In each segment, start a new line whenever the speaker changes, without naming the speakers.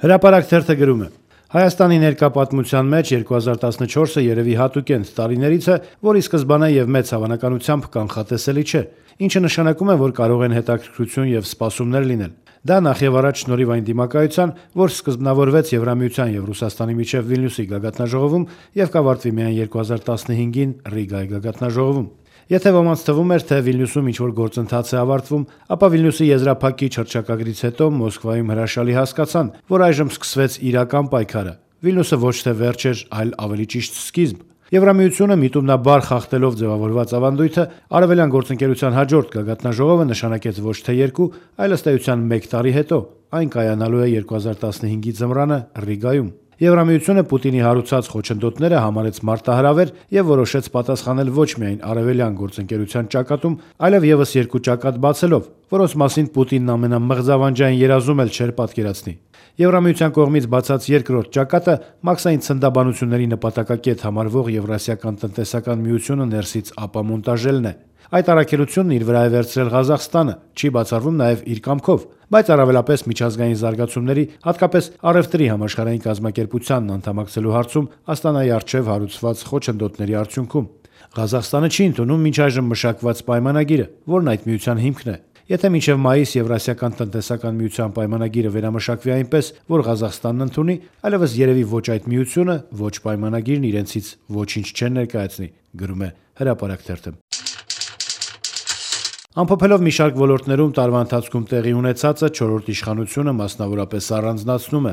Հրապարակ թերթը գրում է. Հայաստանի ներկա պատմության մեջ 2014-ը երևի հատուկենտ տարիներից է, որի սկզբանե եւ մեծ հավանականությամբ կանխատեսելի չէ, ինչը նշանակում է, որ կարող են հետաքրքրություն եւ սպասումներ լինել։ Դա նախևառաջ շնորհիվ այն դիմակայության, որ սկզբնավորվեց Եվրամիության եւ Ռուսաստանի միջև Վիլնյուսի գագաթնաժողովում եւ կավարտվի միայն 2015-ին Ռիգայի գագաթնաժողովում։ Եթե ոմանց թվում էր, թե Վիլնյուսում ինչ-որ գործընթաց է ավարտվում, ապա Վիլնյուսի եզրափակիչ հռչակագրից հետո Մոսկվայում հրաշալի հասկացան, որ այժմ սկսվեց իրական պայքարը։ Վիլնյուսը ոչ թե վերջ էր, այլ ավելի ճիշտ սկիզբ։ Եվրամիությունը միտումնաբար խախտելով ձևավորված ավանդույթը արևելյան գործընկերության հաջորդ գագաթնաժողովը նշանակեց ոչ թե 2, այլ ըստ էության 1 տարի հետո։ Այն կայանալու է 2015-ի ձմռանը Ռիգայում։ Եվրամիությունը Պուտինի հարուցած խոչընդոտները համարեց մարտահրավեր եւ որոշեց պատասխանել ոչ միայն արևելյան գործընկերության ճակատում, այլև եւս 2 ճակատ բացելով, որոնց մասին Պուտինն ամենամղձավանջային երազում էլ չէր պատկերացնի։ Եվրամիության կողմից բացած երկրորդ ճակատը մաքսային ցնդաբանությունների նպատակակետ համարվող Եվրասիական տնտեսական միությունը ներսից ապամոնտաժելն է։ Այդ առաքելությունն իր վրա է վերցրել Ղազախստանը, չի բացառվում նաև իր կամքով, բայց առավելապես միջազգային զարգացումների, հատկապես առևտրի համաշխարհային կազմակերպությանն անդամակցելու հարցում Աստանայի առջև հարուցված խոչընդոտների արդյունքում։ Ղազախստանը չի ընդունում մինչ այժմ մշակված պայմանագիրը, որն այդ միության հիմքն է։ Եթե մինչև մայիս Եվրասիական տնտեսական միության պայմանագիրը վերամշակվի այնպես, որ Ղազախստանն ընդունի, այլևս երևի ոչ այդ միությունը, ոչ պայմանագիրն իրենցից ոչինչ չեն ներկայացնի, գրում է Հրապարակ թերթը։ Ամփոփելով մի շարք ոլորտներում տարվա ընթացքում տեղի ունեցածը 4-րդ իշխանությունը մասնավորապես առանձնացնում է.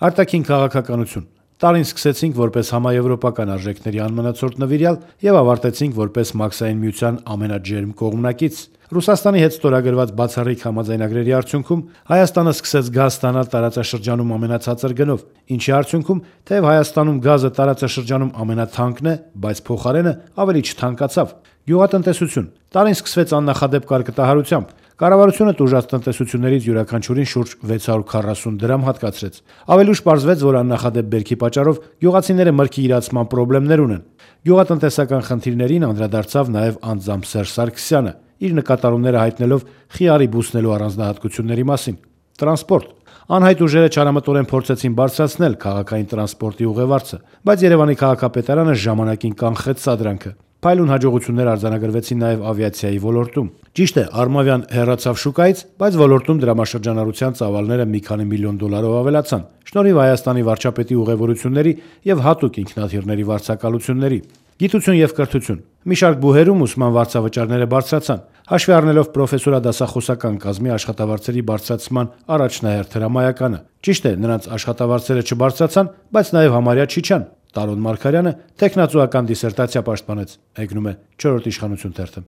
արտաքին քաղաքականություն։ Տարին սկսեցինք որպես համաեվրոպական արժեքների անմնացորդ նվիրյալ եւ ավարտեցինք որպես մաքսային միության ամենաջերմ կողմնակից։ Ռուսաստանի հետ ստորագրված բացառիկ համաձայնագրերի արդյունքում Հայաստանը սկսեց գազ ստանալ տարածաշրջանում ամենացածր գնով, ինչի արդյունքում թեև Հայաստանում գազը տարածաշրջանում ամենաթանկն է, բայց փոխարենը ավելի չթանկացավ։ Գյուղատնտեսություն։ Տարին սկսվեց աննախադեպ կարկտահարությամբ։ Կառավարությունը տուժած տնտեսություններից յուրաքանչյուրին շուրջ 640 դրամ հատկացրեց։ Ավելի ուշ պարզվեց, որ աննախադեպ բերքի պատճառով գյուղացիները մրգի իրացման խնդիրներ ունեն։ Գյուղատնտեսական խնդիրներին անդրադարձավ նաև անձամբ Սերժ Սարգսյանը, իր նկատառումները հայտնելով խիարի բուսնելու առանձնահատկությունների մասին։ Տրանսպորտ։ Անհայտ ուժերը չարամտորեն փորձեցին բարձրացնել քաղաքային տրանսպորտի ուղևորձը, բայց Երևանի քաղաքապետարանը ժամանակին կանխեց սադրանքը։ Փայլուն հաջողություններ արձանագրվեցին նաև ավիացիայի ոլորտում։ Ճիշտ է, Արմավյան հեռացավ շուկայից, բայց ոլորտում դրամաշրջանառության ծավալները մի քանի միլիոն դոլարով ավելացան, շնորհիվ Հայաստանի վարչապետի ուղևորությունների եւ հատուկ ինքնաթիռների վարձակալությունների։ Գիտություն եւ կրթություն։ Մի շարք բուհերում ուսման վարձավճարները բարձրացան, հաշվի առնելով պրոֆեսորադասախոսական կազմի աշխատավարձերի բարձրացման առաջնահերթ հրամայականը։ Ճիշտ է, նրանց աշխատավարձերը չբարձրացան, բայց նաև համարյա չիջան։ Տարոն Մարգարյանը տեխնացուական դիսերտացիա պաշտպանեց, եկնում է 4-րդ իշխանություն թերթը։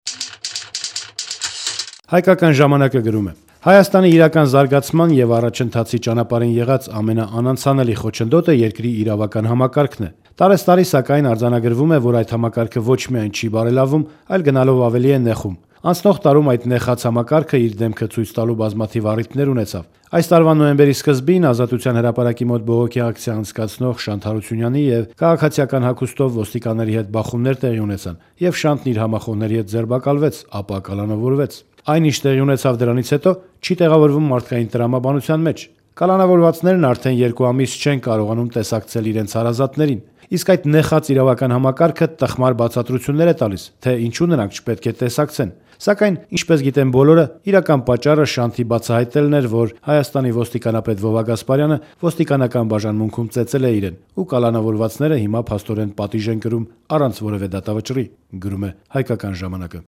Հայկական ժամանակը գրում է. Հայաստանի իրական զարգացման եւ առաջընթացի ճանապարհին եղած ամենաանանցանելի խոչընդոտը երկրի իրավական համակարգն է։ Տարեստարի սակայն արձանագրվում է, որ այդ համակարգը ոչ միայն չի բարելավում, այլ գնալով ավելի է նեղում։ Անցնող տարում այդ նեխած համակարգը իր դեմքը ցույց տալու բազմաթիվ առիթներ ունեցավ։ Այս տարվա նոյեմբերի սկզբին Ազատության հրապարակի մոտ բողոքի ակցիա անցկացնող Շանթ Հարությունյանի եւ քաղաքացիական հագուստով ոստիկանների հետ բախումներ տեղի ունեցան, եւ Շանթն իր համախոհների հետ ձերբակալվեց, ապա կալանավորվեց։ Այն ինչ տեղի ունեցավ դրանից հետո չի տեղավորվում մարդկային տրամաբանության մեջ։ Կալանավորվածներն արդեն 2 ամիս չեն կարողանում տեսակցել իրենց հարազատներին։ Իսկ այդ նեխած իրավական համակարգը տխմար բացատրություններ է տալիս, թե ինչու նրանք չպետք է տեսակցեն։ Սակայն, ինչպես գիտեն բոլորը, իրական պատճառը Շանթի բացահայտելն էր, որ Հայաստանի ոստիկանապետ Վովա Գասպարյանը ոստիկանական բաժանմունքում ծեծել է իրեն, ու կալանավորվածները հիմա փաստորեն պատիժ են կրում առանց որևէ դատավճռի, գրում է Հայկական ժամանակը։